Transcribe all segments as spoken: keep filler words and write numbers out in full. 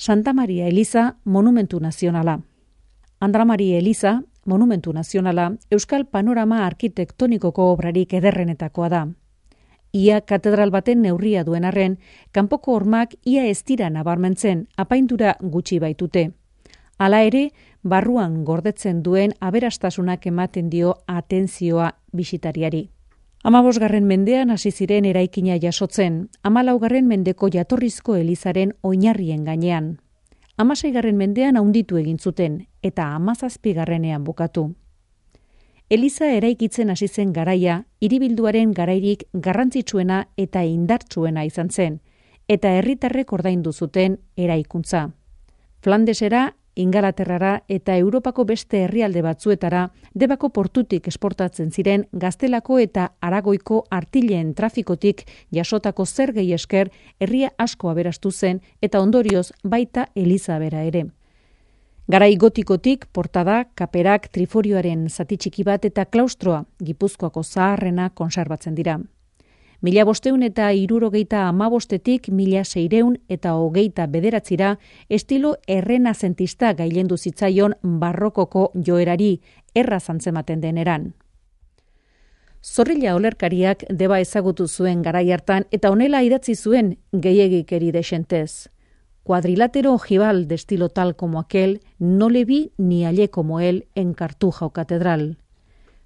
Santa Maria Eliza monumentu nazionala. Andra Maria Eliza monumentu nazionala Euskal panorama arkitektonikoko obrarik ederrenetakoa da. Ia katedral baten neurria duen arren, kanpoko hormak ia ez dira nabarmentzen, apaindura gutxi baitute. Hala ere, barruan gordetzen duen aberastasunak ematen dio atentzioa bisitariari. Hamabosgarren mendean hasi ziren eraikina jasotzen, hamalaugarren mendeko jatorrizko elizaren oinarrien gainean. Hamaseigarren mendean handitu egin zuten eta hamazazpigarrenean bukatu. Eliza eraikitzen hasi zen garaia, hiribilduaren garairik garrantzitsuena eta indartsuena izan zen, eta herritarrek ordaindu zuten eraikuntza. Flandesera, Ingalaterrara eta Europako beste herrialde batzuetara Debako portutik esportatzen ziren Gaztelako eta Aragoiko artileen trafikotik jasotako zergei esker herria asko aberastu zen eta ondorioz baita Eliza bera ere. Garai gotikotik portada, kaperak, triforioaren zati txiki bat eta klaustroa Gipuzkoako zaharrena konserbatzen dira. Mila bosteun eta hirurogeita hamabostetik mila seireun eta hogeita bederatzira estilo errenazentista gailendu zitzaion barrokoko joerari erraz antzematen deneran. Zorrilla olerkariak Deba ezagutu zuen garai hartan eta honela idatzi zuen gehiegikeri desentez. Cuadrilátero ojival de estilo tal como aquel, no le vi ni hallé como él en Cartuja o Catedral.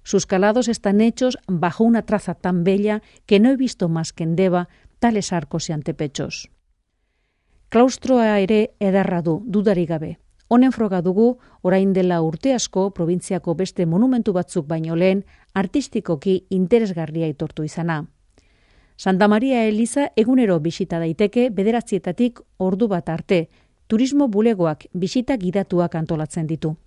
Sus calados están hechos bajo una traza tan bella que no he visto más que en Deba tales arcos y antepechos. Klaustroa ere ederra du, dudarik gabe. Honen froga dugu, orain dela urte asko, probintziako beste monumentu batzuk baino lehen, artistikoki interesgarria aitortu izana. Santa Maria Eliza egunero bisita daiteke bederatzietatik ordu bat arte, turismo bulegoak bisita gidatuak antolatzen ditu.